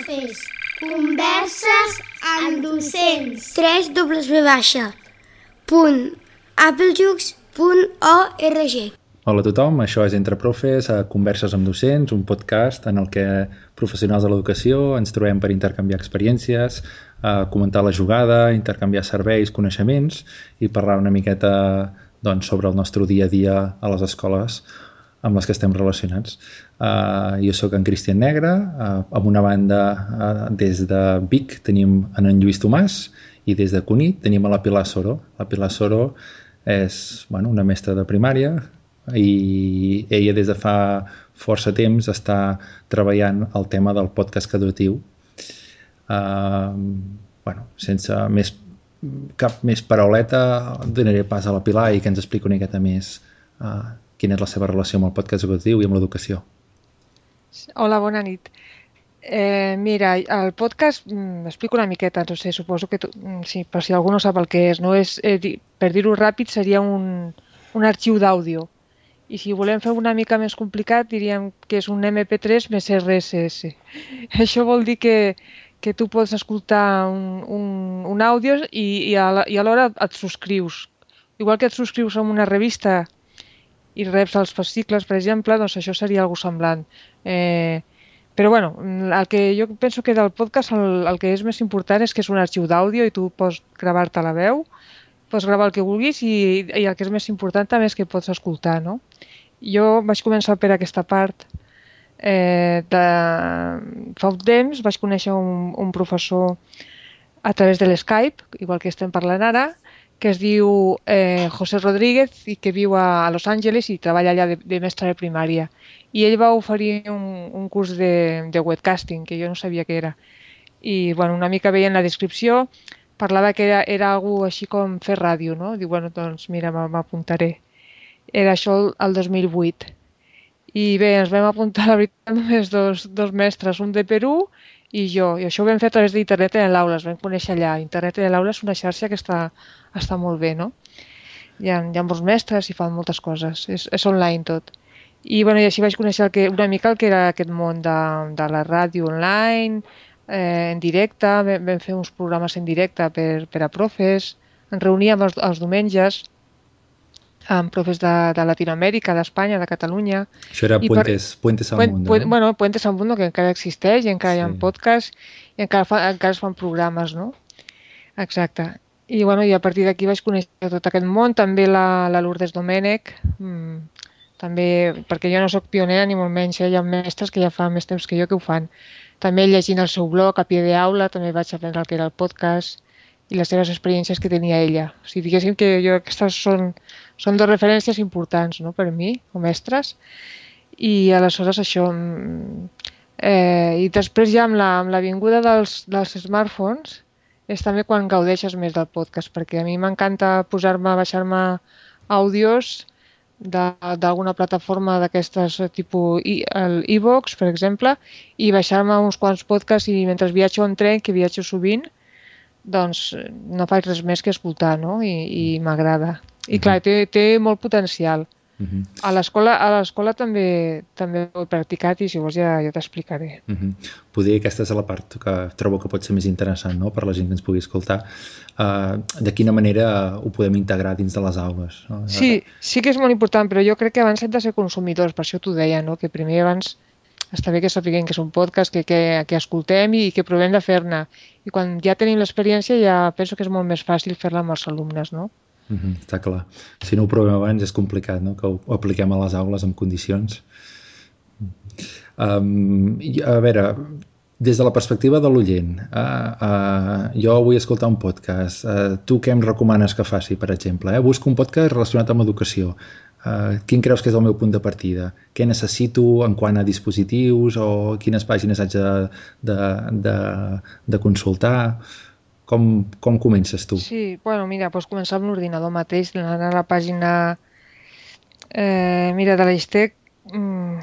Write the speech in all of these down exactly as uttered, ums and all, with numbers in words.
Profes, converses amb docents. tres w baixa punt applejux punt org. Hola a tothom, això és Entre Profes, a Converses amb Docents, un podcast en el que professionals de l'educació ens trobem per intercanviar experiències, a comentar la jugada, intercanviar serveis, coneixements i parlar una miqueta doncs, sobre el nostre dia a dia a les escoles amb les que estem relacionats. Uh, jo sóc en Cristian Negre, uh, amb una banda uh, des de Vic tenim en, en Lluís Tomàs i des de Cunit tenim a la Pilar Soro. La Pilar Soro és bueno, una mestra de primària i ella des de fa força temps està treballant el tema del podcast educatiu. Uh, bueno, sense més, cap més parauleta donaré pas a la Pilar i que ens expliqui una miqueta més uh, quina és la seva relació amb el podcast educatiu i amb l'educació. Hola, bona nit. Eh, mira, el podcast, m'explico una miqueta, no sé, suposo que, tu, sí, per si algú no sap el que és, no és eh, per dir-ho ràpid, seria un, un arxiu d'àudio. I si volem fer una mica més complicat, diríem que és un eme pe tres més erre esse esse. Això vol dir que, que tu pots escoltar un, un, un àudio i, i alhora et subscrius. Igual que et subscrius a una revista i reps els fascicles, per exemple, doncs això seria algo semblant. Eh, però bueno, el que jo penso que del podcast el, el que és més important és que és un arxiu d'àudio i tu pots gravar-te la veu, pots gravar el que vulguis i, i el que és més important també és que pots escoltar, no? Jo vaig començar per aquesta part eh, de... fa un temps, vaig conèixer un, un professor a través de l'Skype, igual que estem parlant ara, que es diu eh, José Rodríguez i que viu a, a Los Angeles i treballa allà de, de mestre de primària. I ell va oferir un, un curs de, de webcasting, que jo no sabia què era. I bueno, una mica veient la descripció, parlava que era, era algo així com fer ràdio, no? Diu, bueno, doncs mira, m'apuntaré. Era això el dos mil vuit. I bé, ens vam apuntar, la veritat, només dos, dos mestres, un de Perú i jo. I això ho vam fer a través d'internet en l'aula, es vam conèixer allà. Internet en l'aula és una xarxa que està, està molt bé, no? Hi ha, hi ha molts mestres i fan moltes coses, és, és online tot. I, bueno, i així vaig conèixer el que, una mica el que era aquest món de, de la ràdio online, eh, en directe, vam, vam fer uns programes en directe per, per a profes, ens reuníem els, els diumenges amb profes de, de Latinoamèrica, d'Espanya, de Catalunya. Això era Puentes, per, Puentes al Mundo, pu, no? Bueno, Puentes al Mundo, que encara existeix, i encara sí. Hi ha podcast, i encara, fa, encara es fan programes, no? Exacte. I, bueno, i a partir d'aquí vaig conèixer tot aquest món, també la, la Lourdes Domènech, mmm, també, perquè jo no sóc pionera ni molt menys, eh? Hi ha mestres que ja fa més temps que jo que ho fan. També llegint el seu blog a pie d'aula, també vaig aprendre el que era el podcast i les seves experiències que tenia ella. O sigui, diguéssim que jo aquestes són, són dues referències importants, no?, per mi, com mestres. I aleshores això... Eh, I després ja amb la, amb la vinguda dels, dels smartphones és també quan gaudeixes més del podcast, perquè a mi m'encanta posar-me, baixar-me àudios d'alguna plataforma d'aquestes tipus l'e-box, per exemple, i baixar-me uns quants podcasts i mentre viatjo en tren, que viatjo sovint, doncs no faig res més que escoltar, no? I, i m'agrada. I clar, té, té molt potencial. Uh-huh. A l'escola a l'escola també també ho he practicat i si vols ja, ja t'explicaré. Uh-huh. Poder aquesta és la part que trobo que pot ser més interessant, no?, per la gent que ens pugui escoltar. Uh, de quina manera ho podem integrar dins de les aules, no? Sí, sí que és molt important, però jo crec que abans hem de ser consumidors, per això t'ho deia, no?, que primer abans està bé que sapiguem que és un podcast, que, que, que escoltem i que provem de fer-ne. I quan ja tenim l'experiència ja penso que és molt més fàcil fer-la amb els alumnes, no? Uh-huh, està clar. Si no ho provem abans és complicat, no?, que ho, ho apliquem a les aules en condicions. Um, a veure, des de la perspectiva de l'oient, uh, uh, jo vull escoltar un podcast. Uh, tu què em recomanes que faci, per exemple? Eh? Busco un podcast relacionat amb educació. Uh, quin creus que és el meu punt de partida? Què necessito en quant a dispositius o quines pàgines haig de, de, de, de consultar? Com, com comences tu? Sí, bueno, mira, pots començar amb l'ordinador mateix, anant a la pàgina eh, mira, de l'Aistec, mm,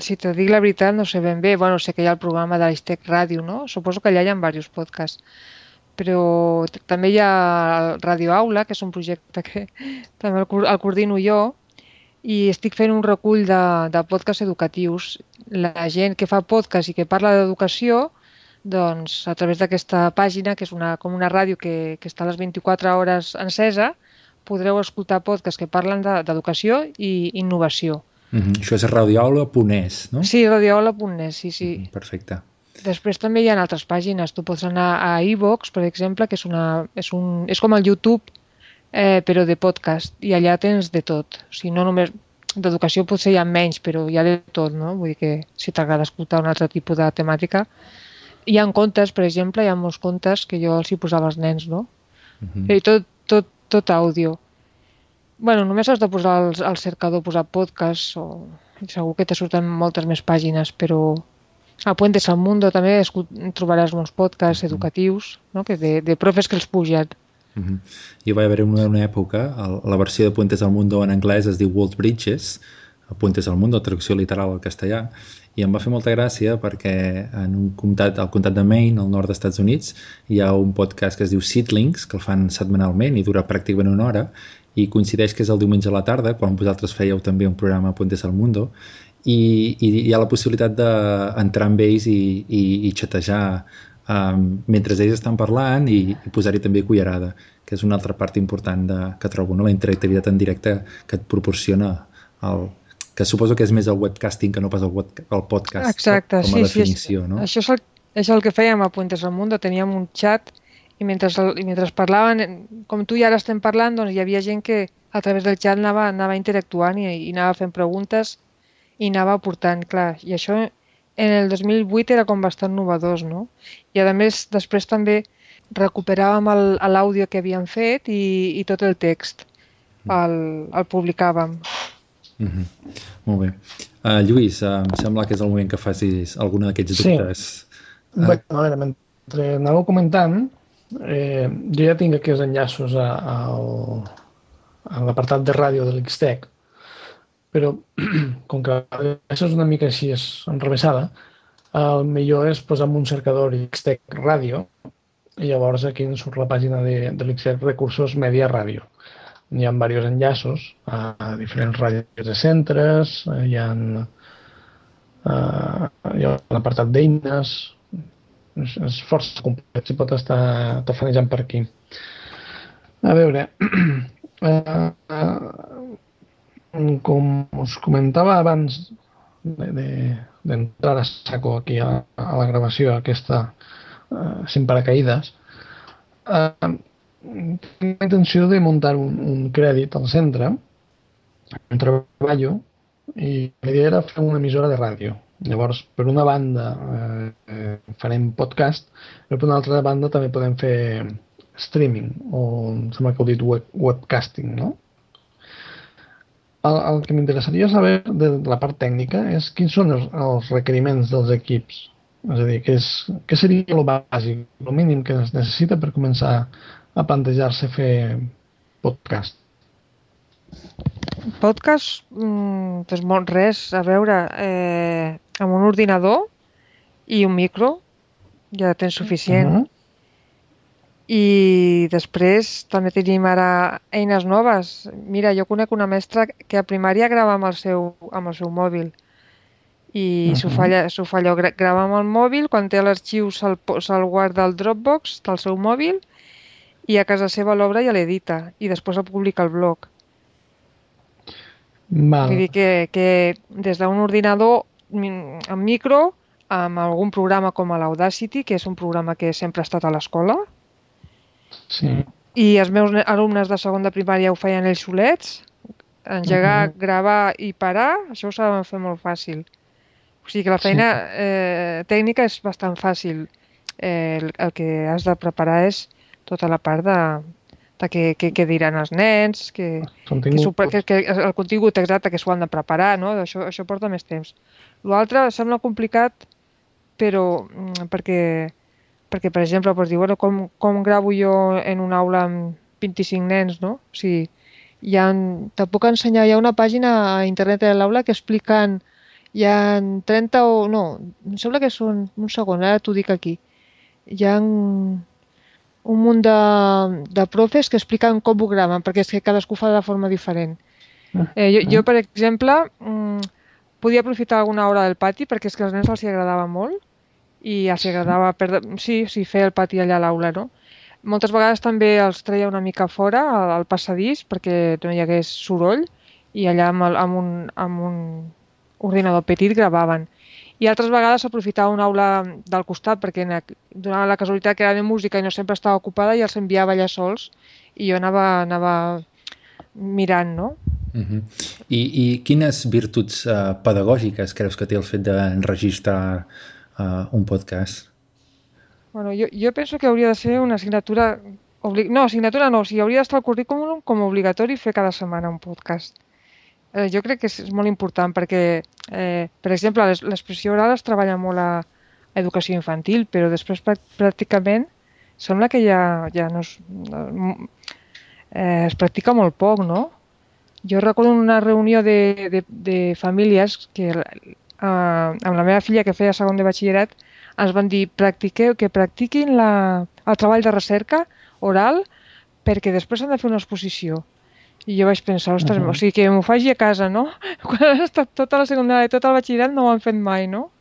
si te dic la veritat no sé ben bé, bueno, sé que hi ha el programa de l'Aistec Ràdio, no? Suposo que allà hi ha diversos podcasts, però també hi ha el Radio Aula, que és un projecte que també el, el coordino jo, i estic fent un recull de, de podcasts educatius. La gent que fa podcast i que parla d'educació doncs a través d'aquesta pàgina, que és una, com una ràdio que, que està a les vint-i-quatre hores encesa, podreu escoltar podcasts que parlen d'educació i innovació. Mm-hmm. Això és radioaula punt es, no? Sí, radioaula punt es, sí, sí. Mm-hmm. Perfecte. Després també hi ha altres pàgines. Tu pots anar a iVoox, per exemple, que és, una, és, un, és com el YouTube, eh, però de podcast, i allà tens de tot. O sigui, no només d'educació potser hi ha menys, però hi ha de tot, no? Vull dir que si t'agrada escoltar un altre tipus de temàtica. Hi ha contes, per exemple, hi ha molts contes que jo els hi posava als nens, no? Mm-hmm. I tot, tot, tot àudio. Bueno, només has de posar al, al cercador, posar podcast, o segur que te surten moltes més pàgines, però a Puentes al Mundo també trobaràs molts podcasts educatius, no? Que de, de profes que els pugen. Mm-hmm. Jo vaig haver una, una època, el, la versió de Puentes al Mundo en anglès es diu World Bridges, Puentes al Mundo, traducció literal al castellà, i em va fer molta gràcia perquè en un comtat, al comtat de Maine, al nord dels Estats Units, hi ha un podcast que es diu Seedlings, que el fan setmanalment i dura pràcticament una hora, i coincideix que és el diumenge a la tarda, quan vosaltres fèieu també un programa a Puentes al Mundo, i, i hi ha la possibilitat d'entrar amb ells i, i, i xatejar um, mentre ells estan parlant i, i posar-hi també cullerada, que és una altra part important de, que trobo, no? La interactivitat en directe que et proporciona el, que suposo que és més el webcasting que no pas el, web, el podcast. Exacte, com a sí, definició, sí, no? Això és, el, és el que fèiem a Puentes al Mundo, teníem un xat i mentre, i mentre parlaven, com tu i ara estem parlant, doncs hi havia gent que a través del xat anava, anava interactuant i, i anava fent preguntes i anava aportant, clar, i això en el dos mil vuit era com bastant novedós, no? I a més després també recuperàvem l'àudio que havíem fet i, i tot el text el, el publicàvem. Mm-hmm. Molt bé. Uh, Lluís, uh, em sembla que és el moment que facis alguna d'aquests dubtes. Sí. Uh... Bé, a veure, mentre anàveu comentant, eh, jo ja tinc aquests enllaços a, a, a l'apartat de ràdio de l'Xtec, però com que això és una mica així és enrevessada, el millor és posar en un cercador Xtec Ràdio i llavors aquí ens surt la pàgina de, de l'Xtec Recursos Media Ràdio. Hi ha diversos enllaços a diferents ràdios de centres, hi ha, uh, hi ha un apartat d'eines, és, és força complet, si pot estar tafanejant per aquí. A veure, uh, uh, com us comentava abans d'entrar de, de, a saco aquí a, a la gravació aquesta uh, sin paracaïdes, uh, tinc la intenció de muntar un, un crèdit al centre on treballo i la idea era fer una emissora de ràdio. Llavors, per una banda eh, farem podcast, però per una altra banda també podem fer streaming, o em sembla que heu dit web, webcasting, no? El, el que m'interessaria saber de la part tècnica és quins són els, els requeriments dels equips. És a dir, què, és, què seria el bàsic, el mínim que es necessita per començar a plantejar-se fer podcast? Podcast, mm, doncs molt res, a veure, eh, amb un ordinador i un micro ja tens suficient. Uh-huh. I després també tenim ara eines noves. Mira, jo conec una mestra que a primària grava amb el seu, amb el seu mòbil i uh-huh. s'ho fa, s'ho fa allò, grava amb el mòbil, quan té l'arxiu se'l, se'l guarda al Dropbox del seu mòbil i a casa seva l'obra ja l'edita i després el publica al blog. Val. Vull dir que, que des d'un ordinador amb micro, amb algun programa com l'Audacity, que és un programa que sempre ha estat a l'escola, sí. I els meus alumnes de segon de primària ho feien ells solets, engegar, uh-huh. gravar i parar, això ho saben fer molt fàcil. O sigui que la feina sí. eh, tècnica és bastant fàcil. Eh, el, el que has de preparar és tota la part de, de què, què, què diran els nens, que, que, que, que el contingut exacte que s'ho han de preparar, no? Això, això porta més temps. L'altre sembla complicat, però perquè, perquè per exemple, pots dir, bueno, com, com gravo jo en una aula amb vint-i-cinc nens, no? O sigui, hi ha, te puc ensenyar, hi ha una pàgina a internet de l'aula que expliquen, hi ha trenta o... no, em sembla que són... un segon, ara t'ho dic aquí. Hi ha un munt de, de profes que expliquen com ho graven, perquè és que cadascú fa de forma diferent. Eh, jo, jo, per exemple, mmm, podia aprofitar alguna hora del pati, perquè és que als nens els hi agradava molt, i ja s'hi agradava, per, sí, sí, fer el pati allà a l'aula, no? Moltes vegades també els treia una mica fora, al, al passadís, perquè no hi hagués soroll, i allà amb, el, amb, un, amb un ordinador petit gravaven. I altres vegades s'aprofitava una aula del costat, perquè donava la casualitat que era de música i no sempre estava ocupada, i els enviava allà sols, i jo anava, anava mirant, no? Uh-huh. I, I quines virtuts uh, pedagògiques creus que té el fet d'enregistrar uh, un podcast? Bueno, jo, jo penso que hauria de ser una assignatura... Obli... No, assignatura no, o sigui, hauria d'estar al currículum com a obligatori fer cada setmana un podcast. Eh, jo crec que és, és molt important perquè, eh, per exemple, l'expressió oral es treballa molt a educació infantil, però després pràcticament sembla que ja, ja no es, eh, es practica molt poc, no? Jo recordo una reunió de, de, de famílies que eh, amb la meva filla que feia segon de batxillerat ens van dir practiqueu, que practiquin la, el treball de recerca oral perquè després han de fer una exposició. I jo vaig pensar, ostres, uh -huh. o sigui, que m'ho faci a casa, no? Quan has estat tota la secundària i tot el batxillerat no ho han fet mai, no?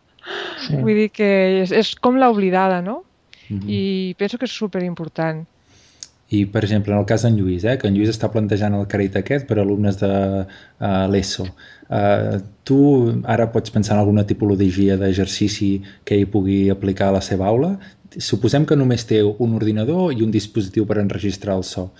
Sí. Vull dir que és, és com l'oblidada, no? Uh -huh. I penso que és superimportant. I, per exemple, en el cas d'en Lluís, eh, que en Lluís està plantejant el crèdit aquest per a alumnes de uh, l'ESO. Uh, tu ara pots pensar en alguna tipologia d'exercici que ell pugui aplicar a la seva aula? Suposem que només té un ordinador i un dispositiu per enregistrar el so.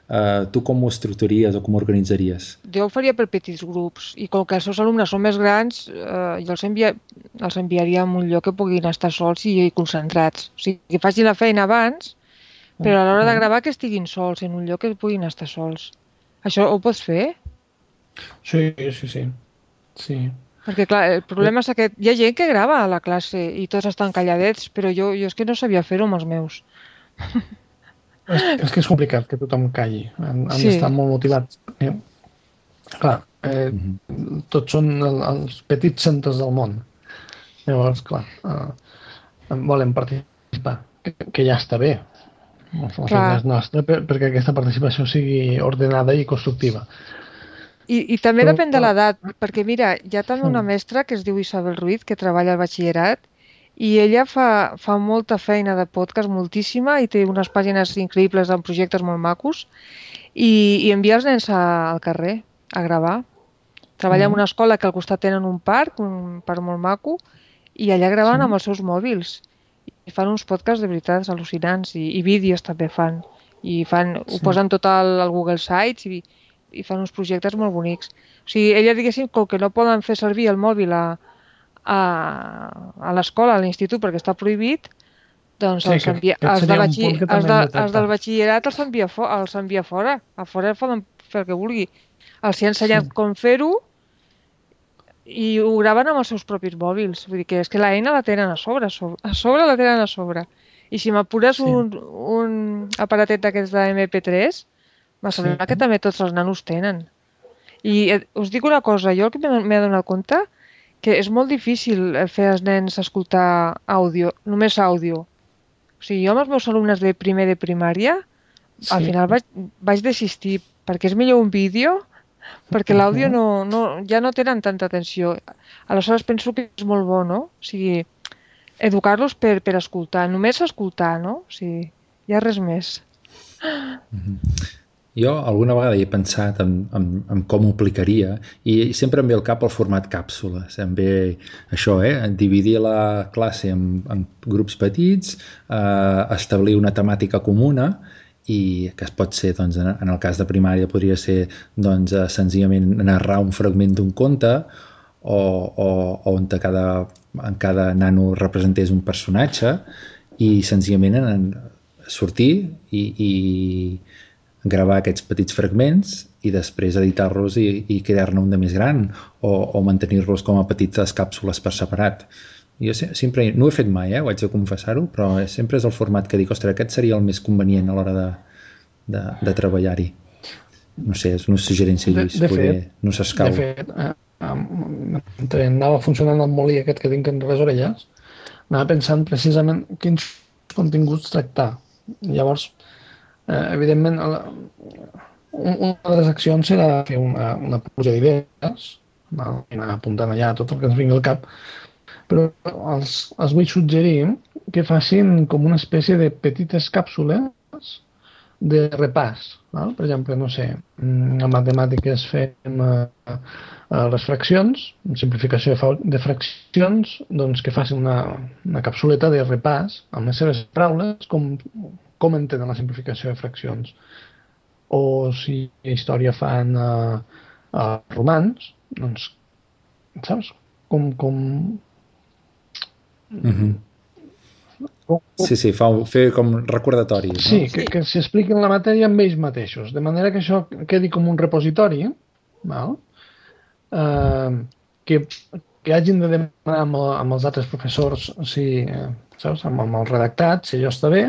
Uh, tu com ho estructuraries o com ho organitzaries? Jo ho faria per petits grups i com que els seus alumnes són més grans, eh, jo els, envia, els enviaria a un lloc que puguin estar sols i concentrats. O sigui, que facin la feina abans, però a l'hora de gravar que estiguin sols, en un lloc que puguin estar sols. Això ho pots fer? Sí, sí, sí. sí. Perquè, clar, el problema és que hi ha gent que grava a la classe i tots estan calladets, però jo, jo és que no sabia fer-ho amb els meus. És, és que és complicat que tothom calli. Han, han sí. d'estar molt motivats. Eh? Clar, eh, mm-hmm. tots són el, els petits centres del món. Llavors, clar, eh, volen participar, que, que ja està bé. La feina és nostra perquè aquesta participació sigui ordenada i constructiva. I, i també Però, depèn de l'edat, perquè mira, hi ha també una mestra que es diu Isabel Ruiz, que treballa al batxillerat, i ella fa, fa molta feina de podcast, moltíssima, i té unes pàgines increïbles amb projectes molt macos, i, i envia els nens a, al carrer a gravar. Treballa en una escola que al costat tenen un parc, un parc molt maco, i allà graven sí. amb els seus mòbils. I fan uns podcasts de veritat al·lucinants, i, i vídeos també fan. I fan, sí. ho posen tot al, al Google Sites i, i fan uns projectes molt bonics. O sigui, ella, diguéssim, com que no poden fer servir el mòbil a, a, a l'escola, a l'institut, perquè està prohibit, doncs sí, els, envia, que, que els, de batxi, els, de, els del batxillerat els envia, fo, els envia fora. A fora poden fer el que vulgui. Els hi ha ensenyat sí. com fer-ho i ho graven amb els seus propis mòbils. Vull dir que és que l'eina la tenen a sobre, a sobre, a sobre la tenen a sobre. I si m'apures sí. un, un aparatet d'aquests de eme pe tres, m'ha semblat sí. que també tots els nanos tenen. I eh, us dic una cosa, jo el que m'he adonat compte que és molt difícil fer als nens escoltar àudio, només àudio. O sigui, jo amb els meus alumnes de primer de primària, sí. al final vaig, vaig desistir, perquè és millor un vídeo, perquè l'àudio no, no, ja no tenen tanta atenció. Aleshores penso que és molt bo, no? O sigui, educar-los per, per escoltar, només escoltar, no? O sigui, hi ha res més. Mm-hmm. Jo alguna vegada he pensat en, en, en com ho aplicaria i sempre em ve al cap el format càpsules. Em ve això, eh? Dividir la classe en, en grups petits, eh, establir una temàtica comuna i que es pot ser, doncs, en, en el cas de primària podria ser doncs, senzillament narrar un fragment d'un conte o, o, o on cada, en cada nano representés un personatge i senzillament en, en sortir i, i gravar aquests petits fragments i després editar-los i, i crear-ne un de més gran o, o mantenir-los com a petites càpsules per separat. Jo sempre, no ho he fet mai, eh, ho haig de confessar-ho, però sempre és el format que dic, ostres, aquest seria el més convenient a l'hora de, de, de treballar-hi. No sé, és una suggerència, Lluís, de, de poder, fet, no s'escau. De fet, eh, mentre anava funcionant el molí aquest que tinc en les orelles, anava pensant precisament quins continguts tractar. Llavors, eh, evidentment, la, una de les accions serà fer una, una pluja d'idees, anar apuntant allà tot el que ens vingui al cap, però els, els vull suggerir que facin com una espècie de petites càpsules de repàs. Val? Per exemple, no sé, a matemàtiques fem eh, eh, les fraccions, simplificació de, de fraccions, doncs que facin una, una capsuleta de repàs amb les seves paraules, com, com entenen la simplificació de fraccions. O si a història fan eh, eh, romans, doncs, saps? Com... com... Mm-hmm. Sí, sí, fa, fer com recordatoris. No? Sí, que, que s'expliquin la matèria amb ells mateixos, de manera que això quedi com un repositori, val? Eh, que, que hagin de demanar amb, amb els altres professors si, eh, saps, amb, amb el redactat, si allò està bé,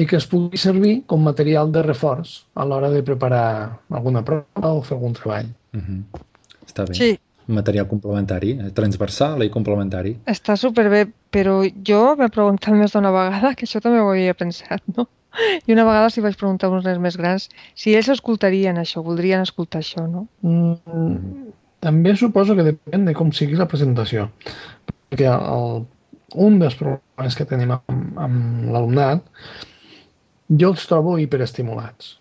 i que es pugui servir com material de reforç a l'hora de preparar alguna prova o fer algun treball. Mm-hmm. Està bé. Sí. Material complementari, transversal i complementari. Està superbé, però jo m'he preguntat més d'una vegada, que això també ho havia pensat, no? I una vegada s'hi vaig preguntar a uns nens més grans si ells escoltarien això, voldrien escoltar això, no? Mm, també suposo que depèn de com sigui la presentació. Perquè el, un dels problemes que tenim amb, amb l'alumnat, jo els trobo hiperestimulats.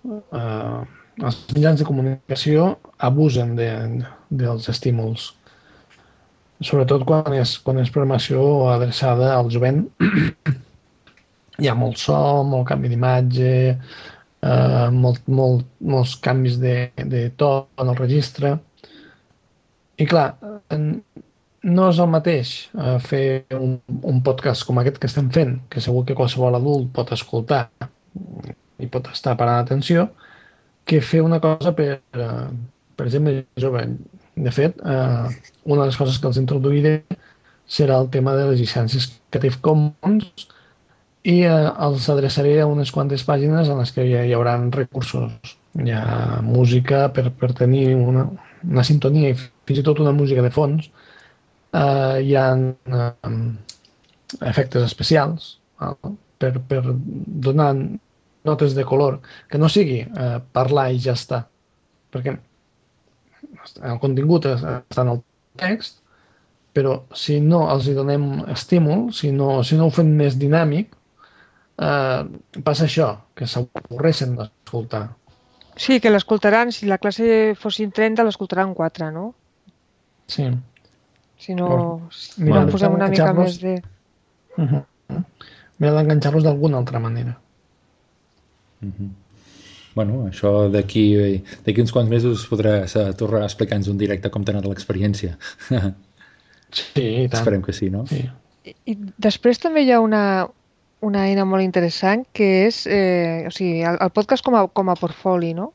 Uh, els mitjans de comunicació abusen de, dels estímuls, sobretot quan és, quan és programació adreçada al jovent. Hi ha molt so, molt canvi d'imatge, eh, molt, molt, molts canvis de, de to en el registre. I clar, no és el mateix eh, fer un, un podcast com aquest que estem fent, que segur que qualsevol adult pot escoltar i pot estar parant atenció, que fer una cosa per, eh, per gent més jove. De fet, eh, una de les coses que els introduiré serà el tema de les llicències Creative Commons i eh, els adreçaré a unes quantes pàgines en les que hi, hi haurà recursos. Hi ha música per, per tenir una, una sintonia i fins i tot una música de fons. Eh, hi ha eh, efectes especials eh, per, per donar notes de color, que no sigui eh, parlar i ja està, perquè el contingut està en el text, però si no els hi donem estímul, si no, si no ho fem més dinàmic, eh, passa això, que s'avorreixen d'escoltar. Sí, que l'escoltaran, si la classe fossin trenta, l'escoltaran quatre, no? Sí. Si no, si Mira, no posem una mica més de... Uh-huh. Mira d'enganxar-los d'alguna altra manera. Mm-hmm. Bueno, això d'aquí d'aquí uns quants mesos podràs tornar a explicar-nos un directe com t'ha anat l'experiència. Sí, i tant. Esperem que sí, no? Sí. I, I després també hi ha una, una eina molt interessant que és eh, o sigui, el, el podcast com a, com a portfoli, no?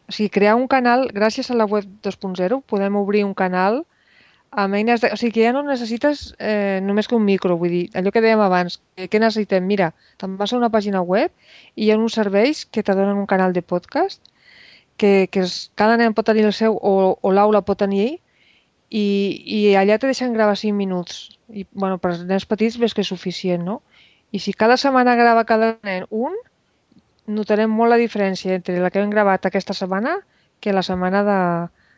O sigui, crear un canal, gràcies a la web dos punt zero, podem obrir un canal amb eines de... O sigui, que ja no necessites eh, només que un micro, vull dir, allò que dèiem abans, que, que necessitem? Mira, te'n vas a una pàgina web i hi ha uns serveis que te donen un canal de podcast, que, que es, cada nen pot tenir el seu o, o l'aula pot tenir ell, i, i allà te deixen gravar cinc minuts. I, bueno, per als nens petits ves que és suficient, no? I si cada setmana grava cada nen un, notarem molt la diferència entre la que hem gravat aquesta setmana que la setmana de,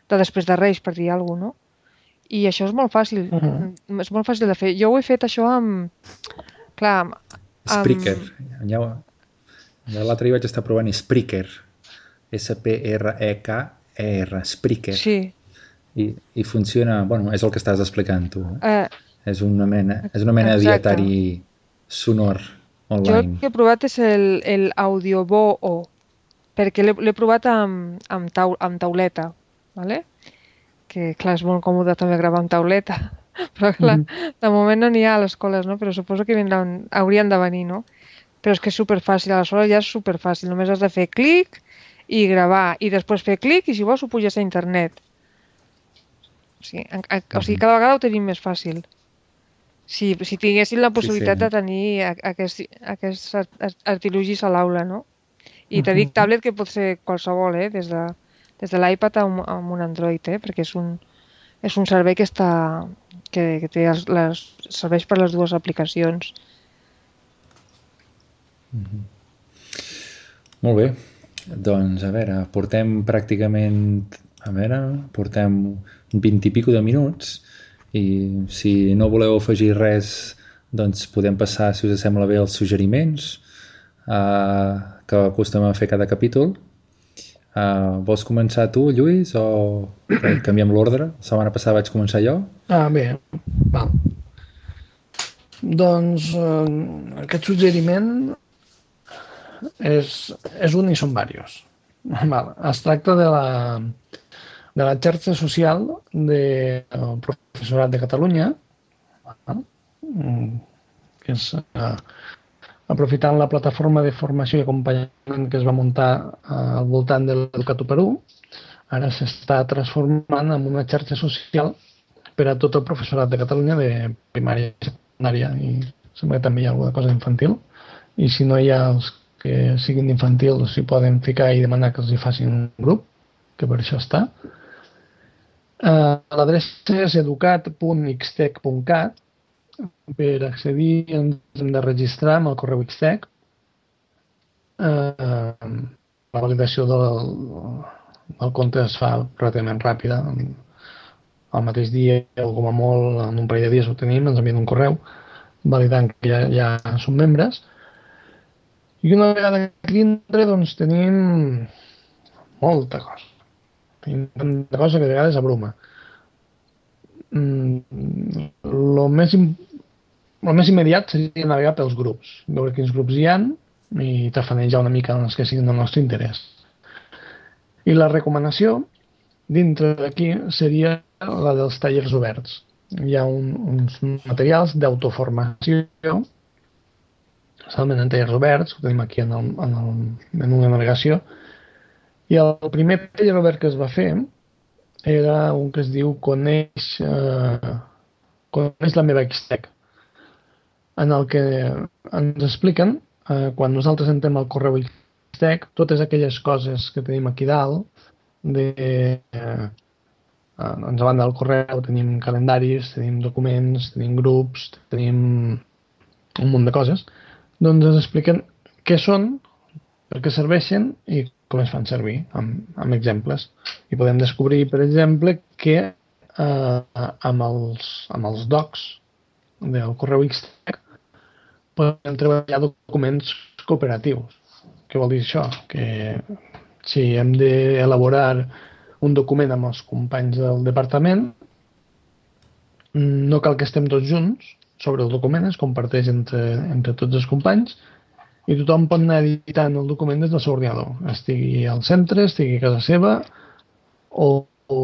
de després de Reis, per dir alguna cosa, no? I això és molt fàcil, uh-huh. és molt fàcil de fer. Jo ho he fet això amb... Clar, amb... Spreaker. Ja, ja l'altre dia vaig estar provant Spreaker. S P R E K E R, Spreaker. Sí. I, i funciona... Bueno, és el que estàs explicant tu. Eh? Eh, és una mena, és una mena de dietari sonor online. Jo el que he provat és el, el Audioboo, perquè l'he provat amb, amb, tau, amb tauleta, ¿vale? Que clar, és molt còmode també gravar amb tauleta, però clar, mm-hmm. de moment no n'hi ha a les escoles, no? Però suposo que vindran, haurien de venir, no? Però és que és superfàcil, aleshores ja és superfàcil, només has de fer clic i gravar, i després fer clic i si vols ho puges a internet. O sigui, en, en, o sigui cada vegada ho tenim més fàcil. Si, si tinguessin la possibilitat sí, sí. de tenir aquest, aquests artilugis a l'aula, no? I te dic tablet que pot ser qualsevol, eh? Des de... des de l'iPad amb un Android, eh? Perquè és un, és un servei que, està, que, que té les, les, serveix per les dues aplicacions. Mm-hmm. Molt bé. Doncs, a veure, portem pràcticament... A veure, portem vint i pico de minuts I si no voleu afegir res, doncs podem passar, si us sembla bé, els suggeriments uh, que acostumem a fer cada capítol. Uh, vols començar tu, Lluís, o canviem l'ordre? La setmana passada vaig començar jo. Ah, bé, val. Doncs eh, aquest suggeriment és, és un i són diversos. Val. Es tracta de la, de la xarxa social del professorat de Catalunya, val? Que és eh, aprofitant la plataforma de formació i acompanyament que es va muntar eh, al voltant de l'Educat u per u, ara s'està transformant en una xarxa social per a tot el professorat de Catalunya de primària i secundària, i sembla que també hi ha alguna cosa infantil, i si no hi ha els que siguin infantil s'hi poden ficar i demanar que els hi facin un grup, que per això està. Uh, L'adreça és educat punt ixtec punt cat. Per accedir ens hem de registrar amb el correu Ixtec. Uh, la validació del, del compte es fa relativament ràpida. Al mateix dia o com a molt en un parell de dies ho tenim, ens envien un correu validant que ja, ja som membres. I una vegada aquí dintre doncs tenim molta cosa. Tenim tanta cosa que a vegades abruma. Mm, lo més, lo més immediat seria navegar pels grups, veure quins grups hi ha i tafanejar una mica els que siguin del nostre interès. I la recomanació dintre d'aquí seria la dels tallers oberts. Hi ha un, uns materials d'autoformació, especialment en tallers oberts, que tenim aquí en el, en el menú de navegació, i el primer taller obert que es va fer era un que es diu Coneix, eh, Coneix la meva Ixtec, en el que ens expliquen, eh, quan nosaltres entrem al correu Ixtec, totes aquelles coses que tenim aquí dalt, de, eh, doncs a banda del correu tenim calendaris, tenim documents, tenim grups, tenim un munt de coses, doncs ens expliquen què són, per què serveixen i com es fan servir, amb, amb exemples. I podem descobrir, per exemple, que eh, amb, els, amb els docs del correu Ixtec podem treballar documents cooperatius. Què vol dir això? Que si hem d'elaborar un document amb els companys del departament, no cal que estem tots junts sobre el document, es comparteix entre, entre tots els companys i tothom pot anar editant el document des del seu ordinador, estigui al centre, estigui a casa seva o, o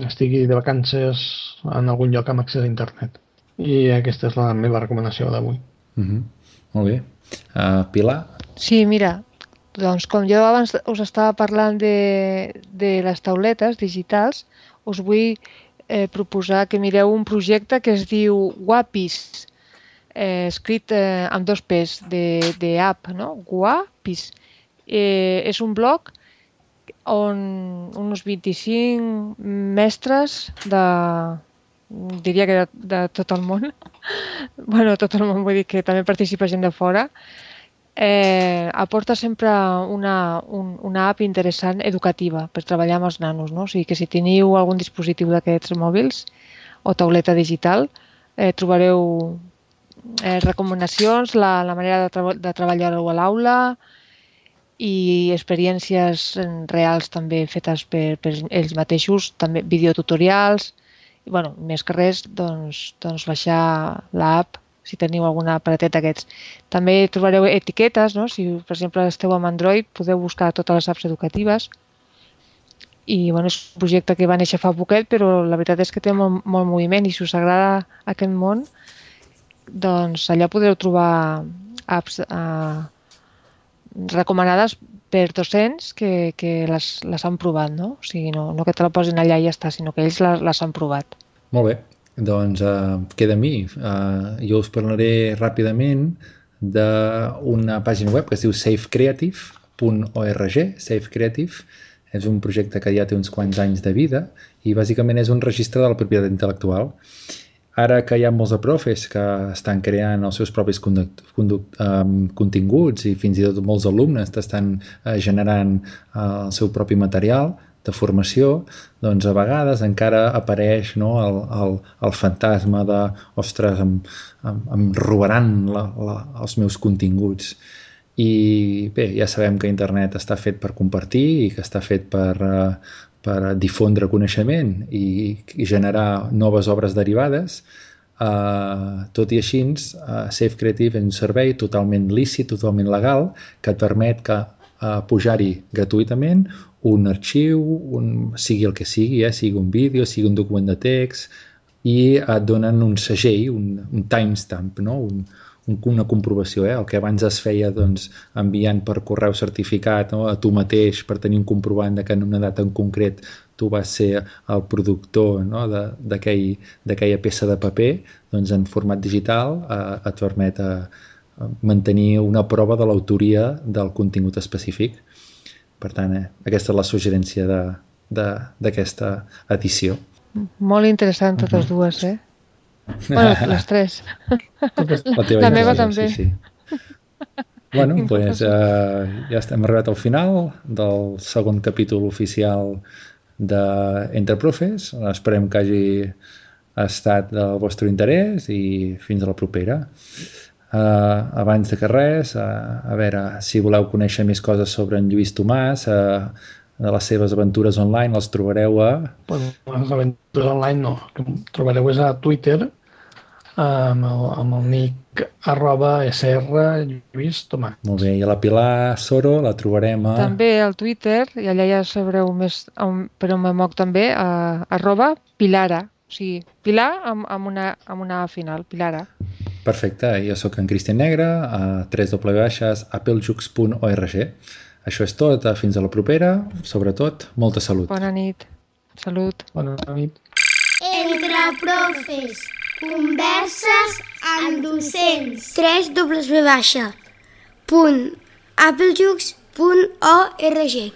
estigui de vacances en algun lloc amb accés a internet. I aquesta és la meva recomanació d'avui. Mm-hmm. Molt bé. Uh, Pilar? Sí, mira, doncs com jo abans us estava parlant de, de les tauletes digitals, us vull eh, proposar que mireu un projecte que es diu Guapis, eh, escrit eh, amb dos P's, de, de app, no? Guapis. Eh, és un blog on uns vint-i-cinc mestres de, diria que de, de tot el món, bueno, tot el món vull dir que també participa gent de fora, Eh, aporta sempre una, un, una app interessant educativa per treballar amb els nanos, no? O sigui que si teniu algun dispositiu d'aquests mòbils o tauleta digital, eh, trobareu eh, recomanacions, la, la manera de, tra de treballar-ho a l'aula i experiències reals també fetes per, per ells mateixos, també videotutorials i, bueno, més que res, doncs, doncs baixar l'app si teniu algun aparatet d'aquests. També trobareu etiquetes, no? Si, per exemple, esteu amb Android, podeu buscar totes les apps educatives. I, bueno, és un projecte que va néixer fa poquet, però la veritat és que té molt, molt moviment i si us agrada aquest món, doncs allà podreu trobar apps eh, recomanades per docents que, que les, les han provat, no? O sigui, no, no que te la posin allà i ja està, sinó que ells les, les han provat. Molt bé. Doncs uh, queda a mi. Uh, jo us parlaré ràpidament d'una pàgina web que es diu safe creative punt org. Safe Creative és un projecte que ja té uns quants anys de vida i bàsicament és un registre de la propietat intel·lectual. Ara que hi ha molts de profes que estan creant els seus propis conduct, conduct, um, continguts i fins i tot molts alumnes estan uh, generant uh, el seu propi material, de formació, doncs a vegades encara apareix, no, el, el, el fantasma de, ostres, em, em, em robaran la, la, els meus continguts. I bé, ja sabem que internet està fet per compartir i que està fet per, uh, per difondre coneixement i, i generar noves obres derivades. Uh, tot i així, uh, Safe Creative és un servei totalment lícit, totalment legal, que et permet que uh, pujar-hi gratuïtament un arxiu, un, sigui el que sigui, eh, sigui un vídeo, sigui un document de text, i et donen un segell, un, un timestamp, no? un, un, una comprovació. Eh? El que abans es feia doncs, enviant per correu certificat, no? a tu mateix per tenir un comprovant de que en una data en concret tu vas ser el productor, no? d'aquella peça de paper, doncs en format digital eh, et permet eh, mantenir una prova de l'autoria del contingut específic. Per tant, eh, aquesta és la suggerència d'aquesta edició. Molt interessant totes uh-huh. dues, eh? Bueno, les tres. La, la meva també. Sí, sí. Bueno, doncs eh, ja hem arribat al final del segon capítol oficial d'Entre Profes. Esperem que hagi estat del vostre interès i fins a la propera. Uh, abans de que res, uh, a veure, si voleu conèixer més coses sobre en Lluís Tomàs, uh, de les seves aventures online, les trobareu a... Pues, les aventures online no, que trobareu és a Twitter, amb el, amb el nick arroba sr Lluís Tomàs. Molt bé, i a la Pilar Soro la trobarem a... També al Twitter, i allà ja sabreu més, per on me moc també, a, arroba Pilara, o sigui, Pilar amb, amb, una, amb una A final, Pilara. Perfecte, jo sóc en Cristian Negre, a w w w punt applejux punt org. Això és tot, fins a la propera, sobretot, molta salut. Bona nit, salut. Bona nit. Entre Profes, converses amb docents. w w w punt applejux punt org